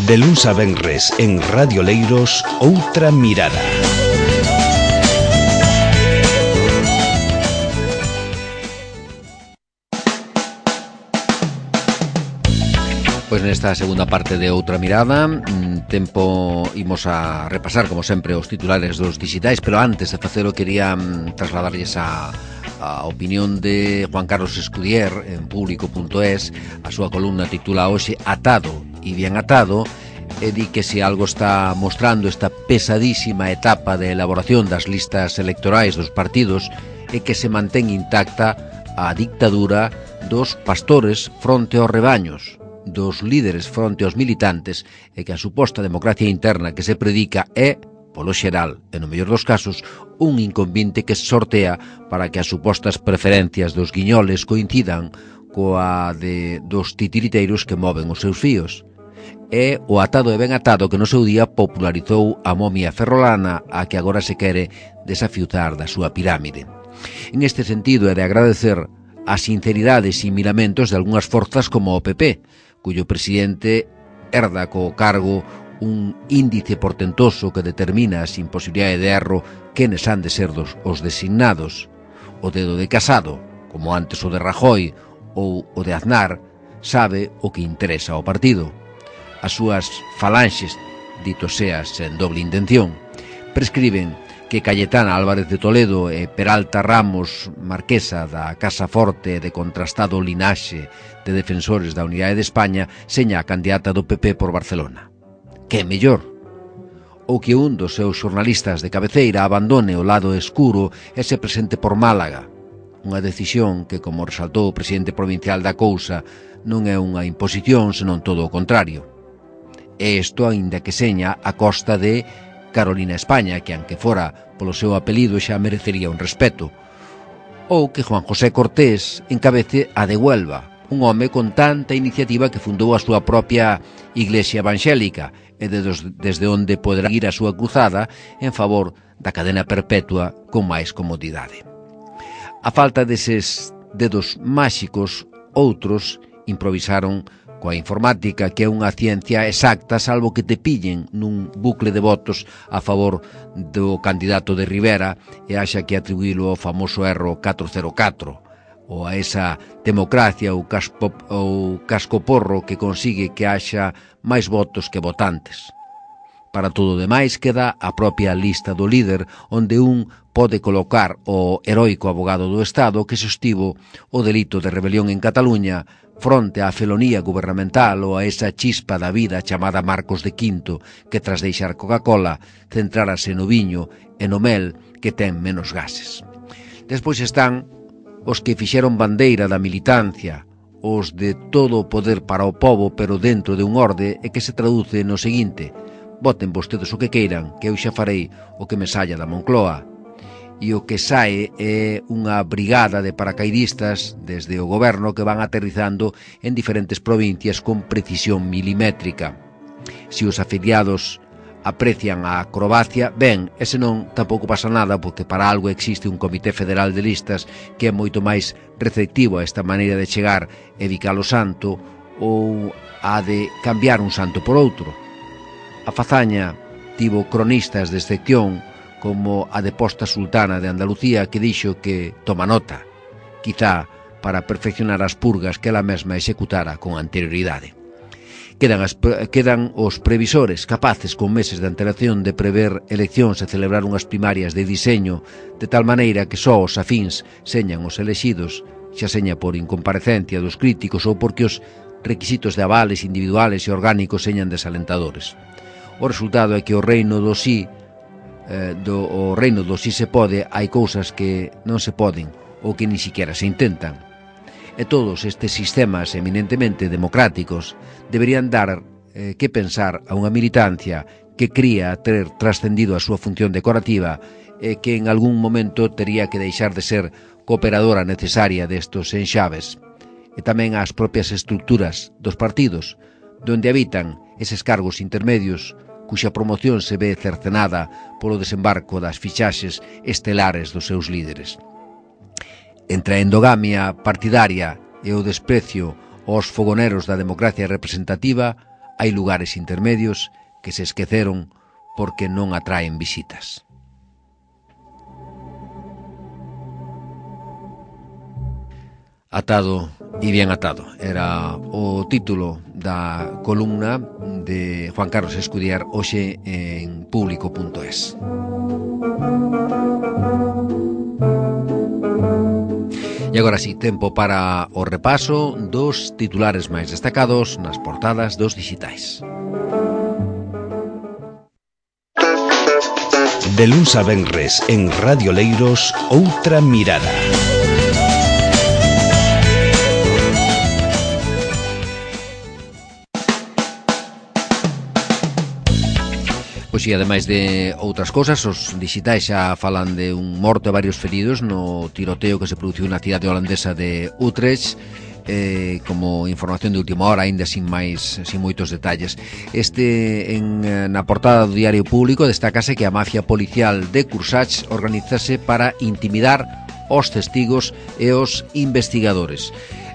De luns a venres en Radio Leiros, Outra Mirada. Pois nesta segunda parte de Outra Mirada tempo imos a repasar como sempre os titulares dos digitais, pero antes de facelo quería trasladarlles a opinión de Juan Carlos Escudier en público.es. A súa columna titula hoxe Atado e bien atado, e di que se algo está mostrando esta pesadísima etapa de elaboración das listas electorais dos partidos é que se mantén intacta a dictadura dos pastores fronte aos rebaños, dos líderes fronte aos militantes, e que a suposta democracia interna que se predica é, polo xeral, e no mellor dos casos, un inconvinte que se sortea para que as supostas preferencias dos guiñoles coincidan coa dos titiriteiros que moven os seus fíos. É o atado e ben atado que no seu día popularizou a momia ferrolana, a que agora se quere desafiuzar da súa pirámide. En este sentido é de agradecer as sinceridades e miramentos de algunhas forzas como o PP, cuyo presidente herda co cargo un índice portentoso que determina sin posibilidade de erro quenes han de ser os designados. O dedo de Casado, como antes o de Rajoy ou o de Aznar, sabe o que interesa ao partido. As súas falanxes, dito sea sen doble intención, prescriben que Cayetana Álvarez de Toledo e Peralta Ramos, marquesa da Casa Forte de contrastado linaxe de defensores da unidade de España, seña a candidata do PP por Barcelona. Que mellor? Ou que un dos seus xornalistas de cabeceira abandone o lado escuro e se presente por Málaga, unha decisión que, como resaltou o presidente provincial da cousa, non é unha imposición, senón todo o contrario. E isto aínda que seña a costa de Carolina España, que aunque fora polo seu apelido xa merecería un respeto. Ou que Juan José Cortés encabece a de Huelva, un home con tanta iniciativa que fundou a súa propia Iglesia Evangélica e desde onde poderá ir a súa cruzada en favor da cadena perpetua con máis comodidade. A falta deses dedos máxicos, outros improvisaron coa informática, que é unha ciencia exacta, salvo que te pillen nun bucle de votos a favor do candidato de Rivera e haxa que atribuílo ao famoso erro 404, ou a esa democracia ou cascoporro que consigue que haxa máis votos que votantes. Para todo o demais queda a propia lista do líder, onde un pode colocar o heroico abogado do Estado que sostivo o delito de rebelión en Cataluña fronte á felonía gubernamental ou a esa chispa da vida chamada Marcos de Quinto, que tras deixar Coca-Cola centrárase no viño e no mel, que ten menos gases. Despois están os que fixeron bandeira da militancia, os de todo o poder para o pobo, pero dentro de un orde, e que se traduce no seguinte: voten vostedes o que queiran, que eu xa farei o que me saia da Moncloa. E o que sae é unha brigada de paracaidistas desde o goberno que van aterrizando en diferentes provincias con precisión milimétrica. Se os afiliados aprecian a acrobacia, ben, e senón tampouco pasa nada, porque para algo existe un comité federal de listas que é moito máis receptivo a esta maneira de chegar e bicar o santo ou a de cambiar un santo por outro. A fazaña tivo cronistas de excepción como a deposta sultana de Andalucía, que dixo que toma nota, quizá para perfeccionar as purgas que ela mesma executara con anterioridade. Quedan os previsores, capaces con meses de antelación de prever eleccións e celebrar unhas primarias de diseño, de tal maneira que só os afíns señan os elexidos, xa seña por incomparecencia dos críticos ou porque os requisitos de avales individuales e orgánicos señan desalentadores. O resultado é que o reino do sí se pode, hai cousas que non se poden ou que ni siquiera se intentan. E todos estes sistemas eminentemente democráticos deberían dar que pensar a unha militancia que cría ter trascendido a súa función decorativa e que en algún momento tería que deixar de ser cooperadora necesaria destos enxaves. E tamén as propias estructuras dos partidos, donde habitan eses cargos intermedios cuxa promoción se ve cercenada polo desembarco das fichaxes estelares dos seus líderes. Entre a endogamia partidaria e o desprecio aos fogoneros da democracia representativa, hai lugares intermedios que se esqueceron porque non atraen visitas. Atado y bien atado era o título da columna de Juan Carlos Escudiar hoxe en público.es. E agora sí, tempo para o repaso dos titulares máis destacados nas portadas dos dixitais. De luns a venres en Radio Leiros, Outra Mirada. Pois e, ademais de outras cousas, os dixitais xa falan de un morto e varios feridos no tiroteo que se produciu na cidade holandesa de Utrecht, como información de última hora, aínda sin moitos detalles. Na portada do Diario Público destácase que a mafia policial de Cursach organizase para intimidar os testigos e os investigadores.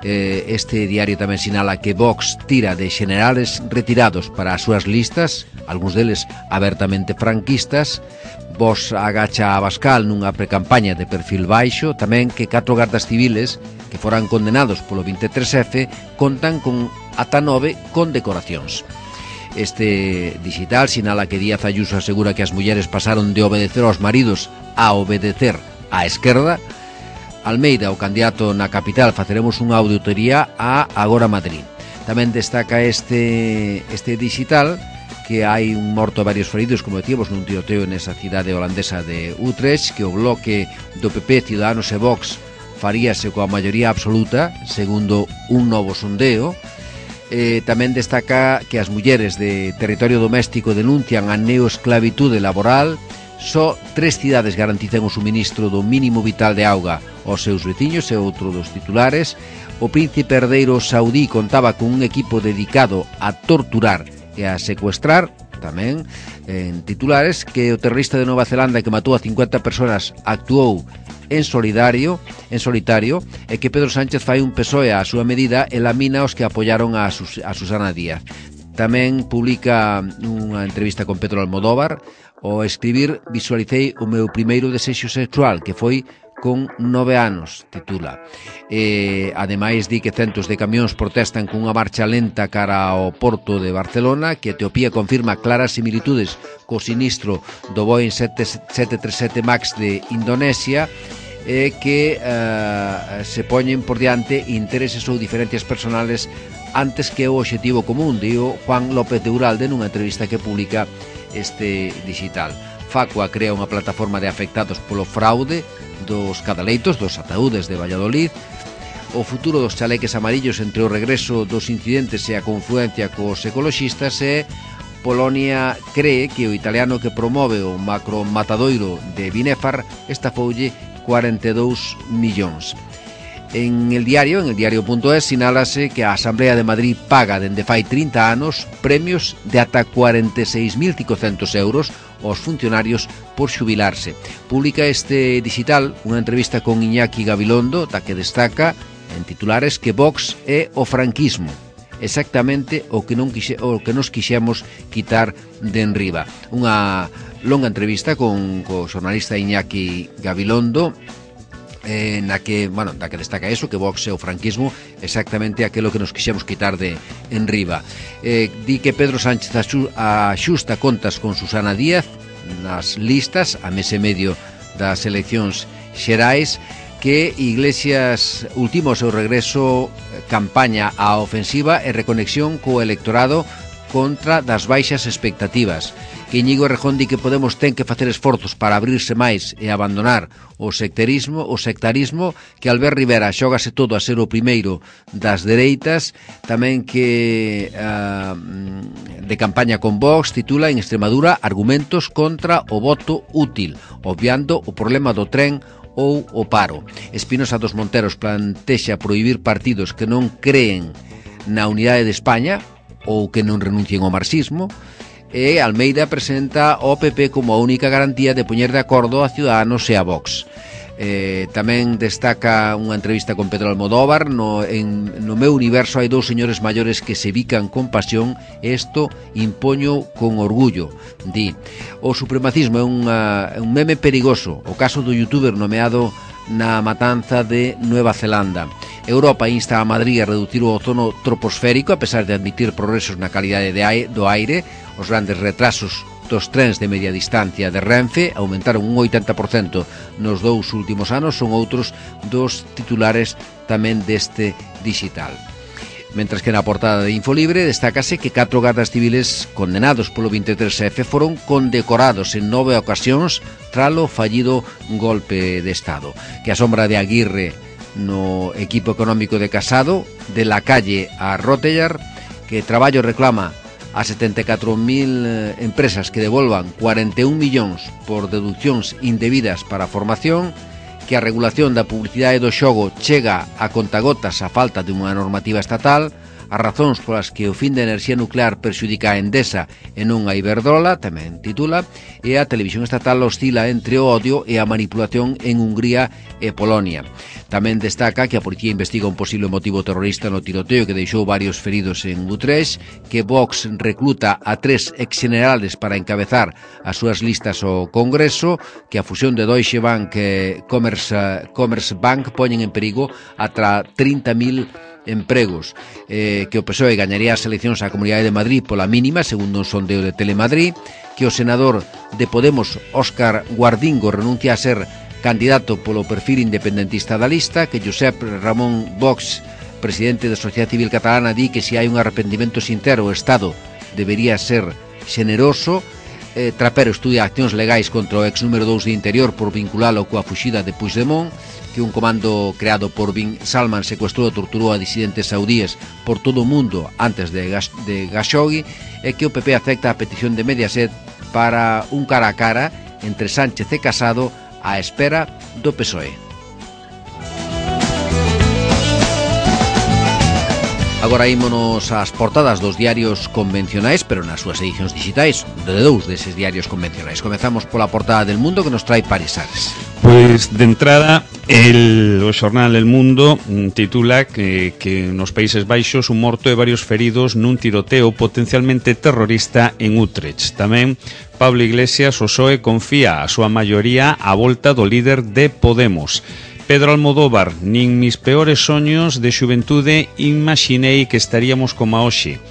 Este diario tamén sinala que Vox tira de generales retirados para as súas listas, algúns deles abertamente franquistas. Vox agacha a Abascal nunha precampaña de perfil baixo. Tamén que 4 gardas civiles que foran condenados polo 23F contan con ata 9 condecoracións. Este digital sinala que Díaz Ayuso asegura que as mulleres pasaron de obedecer aos maridos a obedecer á esquerda. Almeida, o candidato na capital, faceremos unha auditoría a Agora Madrid. Tamén destaca este digital que hai un morto e varios feridos, como decíamos, nun tiroteo nesa cidade holandesa de Utrecht, que o bloque do PP, Ciudadanos e Vox faríase coa maioría absoluta, segundo un novo sondeo. Tamén destaca que as mulleres de territorio doméstico denuncian a neoesclavitude laboral. Só 3 cidades garantizan o suministro do mínimo vital de auga aos seus veciños, e outro dos titulares. O príncipe herdeiro saudí contaba con un equipo dedicado a torturar e a secuestrar. Tamén en titulares que o terrorista de Nova Zelanda que matou a 50 persoas actuou en solitario, e que Pedro Sánchez fai un PSOE á súa medida e lamina os que apoyaron a Susana Díaz. Tamén publica unha entrevista con Pedro Almodóvar. Ao escribir visualicei o meu primeiro desexo sexual, que foi con 9 anos, titula. Ademais, di que centos de camións protestan cunha marcha lenta cara ao porto de Barcelona, que Etiopía confirma claras similitudes co sinistro do Boeing 737 MAX de Indonesia, que se poñen por diante intereses ou diferencias personales antes que o obxectivo común, dio Juan López de Uralde nunha entrevista que publica este digital. Facua crea unha plataforma de afectados polo fraude dos cadaleitos, dos ataúdes de Valladolid. O futuro dos chaleques amarillos entre o regreso dos incidentes e a confluencia cos ecoloxistas. E Polonia cree que o italiano que promove o macromatadoiro de Binefar estafoulle 42 millóns. En el diario.es sinálase que a Asamblea de Madrid paga dende fai 30 anos premios de ata 46.500 euros aos funcionarios por xubilarse. Publica este digital unha entrevista con Iñaki Gabilondo, da que destaca en titulares que Vox é o franquismo, exactamente o que nos quixemos quitar de enriba. Unha longa entrevista con o xornalista Iñaki Gabilondo, na que destaca eso, que Vox é o franquismo, exactamente aquilo que nos quixemos quitar de enriba. Di que Pedro Sánchez axusta contas con Susana Díaz nas listas a mes e medio das eleccións xerais, que Iglesias ultima o seu regreso campaña á ofensiva e reconexión co electorado contra das baixas expectativas. Que Íñigo Errejón di que Podemos ten que facer esforzos para abrirse máis e abandonar o sectarismo, que Albert Rivera xógase todo a ser o primeiro das dereitas. Tamén que de campaña con Vox titula en Extremadura argumentos contra o voto útil, obviando o problema do tren ou o paro. Espinosa dos Monteros plantexa prohibir partidos que non creen na unidade de España ou que non renuncien ao marxismo. E Almeida presenta o PP como a única garantía de poñer de acordo a Ciudadanos e a Vox. Tamén destaca unha entrevista con Pedro Almodóvar. No meu universo hai dous señores maiores que se bican con pasión, e isto impoño con orgullo. Di: o supremacismo é un meme perigoso. O caso do youtuber nomeado na matanza de Nueva Zelanda. Europa insta a Madrid a reducir o ozono troposférico a pesar de admitir progresos na calidade do aire. Os grandes retrasos dos trens de media distancia de Renfe aumentaron un 80% nos 2 últimos anos, son outros dos titulares tamén deste digital. Mentras que na portada de Infolibre destácase que 4 gardas civiles condenados polo 23F foron condecorados en 9 ocasións tralo fallido golpe de Estado. Que a sombra de Aguirre no equipo económico de Casado, de la calle a Rotellar, que Traballo reclama a 74.000 empresas que devolvan 41 millóns por deduccións indebidas para a formación, que a regulación da publicidade do xogo chega a contagotas a falta de unha normativa estatal, as razóns polas que o fin da enerxía nuclear perxudica a Endesa e non a Iberdrola, tamén titula, e a televisión estatal oscila entre o odio e a manipulación en Hungría e Polonia. Tamén destaca que a policía investiga un posible motivo terrorista no tiroteo que deixou varios feridos en Utrecht, que Vox recluta a 3 exgenerales para encabezar as súas listas ao Congreso, que a fusión de Deutsche Bank e Commerce Bank poñen en perigo ata 30.000 empregos, que o PSOE gañaría as eleccións á Comunidade de Madrid pola mínima, segundo un sondeo de Telemadrid, que o senador de Podemos, Óscar Guardingo, renuncia a ser candidato polo perfil independentista da lista, que Josep Ramón Vox, presidente da Sociedade Civil Catalana, di que se hai un arrependimento sincero o Estado debería ser xeneroso. Trapero estudia accións legais contra o ex número 2 de Interior por vinculalo coa fuxida de Puigdemont, que un comando creado por Bin Salman secuestrou e torturou a disidentes saudíes por todo o mundo antes de Khashoggi, e que o PP acepta a petición de Mediaset para un cara a cara entre Sánchez e Casado á espera do PSOE. Agora ímonos ás portadas dos diarios convencionais, pero nas súas edicións digitais, de dous deses diarios convencionais. Comezamos pola portada del Mundo, que nos trae Paris Ares. Pois, de entrada, o xornal El Mundo titula que nos Países Baixos un morto e varios feridos nun tiroteo potencialmente terrorista en Utrecht. Tamén Pablo Iglesias, o PSOE, confía a súa maioría á volta do líder de Podemos. Pedro Almodóvar, nin mis peores soños de xuventude imaginei que estaríamos como hoxe.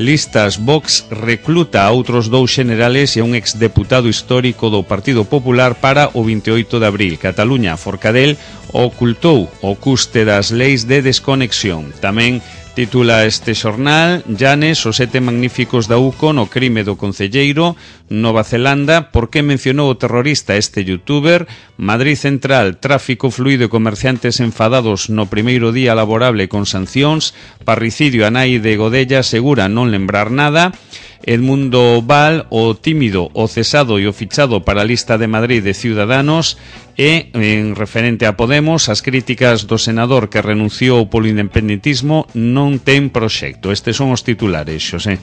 Listas, Vox recluta a outros 2 xenerales e a un exdeputado histórico do Partido Popular para o 28 de abril. Cataluña, Forcadell ocultou o custe das leis de desconexión. Tamén titula este xornal: Llanes, os 7 magníficos da UCO no crime do concelleiro. Nova Zelanda, por que mencionou o terrorista este youtuber? Madrid Central, tráfico fluido e comerciantes enfadados no primeiro día laborable con sancións. Parricidio, a nai de Godella asegura non lembrar nada. Edmundo Val, o tímido, o cesado e o fichado para a lista de Madrid de Ciudadanos. E, en referente a Podemos, as críticas do senador que renunciou polo independentismo non ten proxecto. Estes son os titulares, Xosé.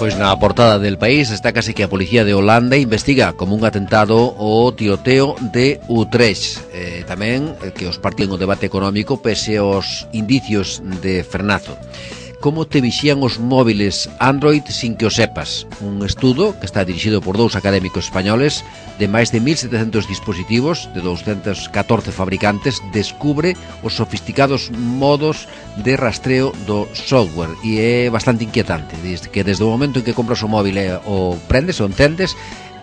Pois na portada del País destácase que a policía de Holanda investiga como un atentado o tiroteo de Utrecht. Tamén que os partidos no debate económico pese aos indicios de frenazo. Como te vixían os móviles Android sin que o sepas? Un estudo que está dirixido por 2 académicos españoles de máis de 1.700 dispositivos de 214 fabricantes descubre os sofisticados modos de rastreo do software, e é bastante inquietante, que desde o momento en que compras o móvil o prendes ou encendes,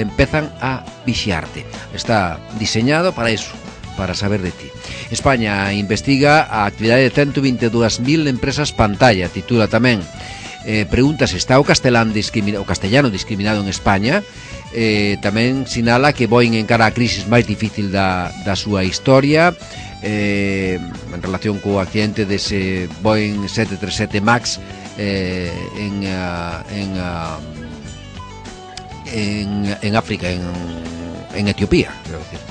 empezan a vixiarte. Está diseñado para iso, para saber de ti. España investiga a actividade de 122.000 empresas pantalla, titula tamén. Pregunta se está o castellano discriminado en España. Tamén sinala que Boeing encara a crisis máis difícil da súa historia, en relación co accidente dese Boeing 737 MAX en África, en Etiopía, quero decir.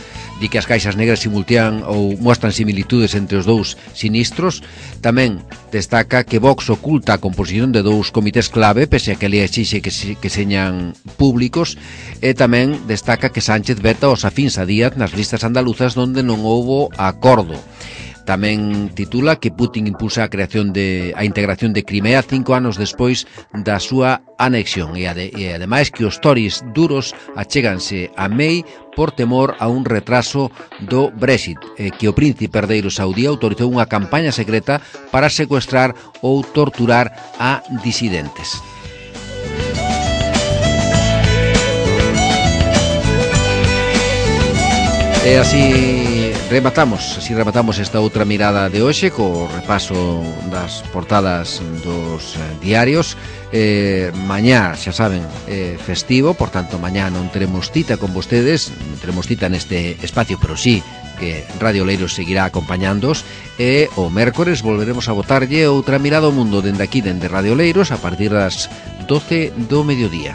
di que as caixas negras simultean ou mostran similitudes entre os dous sinistros. Tamén destaca que Vox oculta a composición de dous comités clave, pese a que le exixe que señan públicos, e tamén destaca que Sánchez veta os afíns a Díaz nas listas andaluzas onde non houbo acordo. Tamén titula que Putin impulsa a integración de Crimea 5 anos despois da súa anexión e ademais que os Tories duros achéganse a May por temor a un retraso do Brexit, que o príncipe herdeiro saudí autorizou unha campaña secreta para secuestrar ou torturar a disidentes. E así rematamos esta outra mirada de hoxe co repaso das portadas dos diarios. Mañá, xa saben, festivo, por tanto mañá non teremos cita con vostedes, non teremos cita neste espacio, pero sí que Radio Leiros seguirá acompañándoos, e o mércores volveremos a botarlle outra mirada ao mundo dende aquí, dende Radio Leiros, a partir das 12 do mediodía.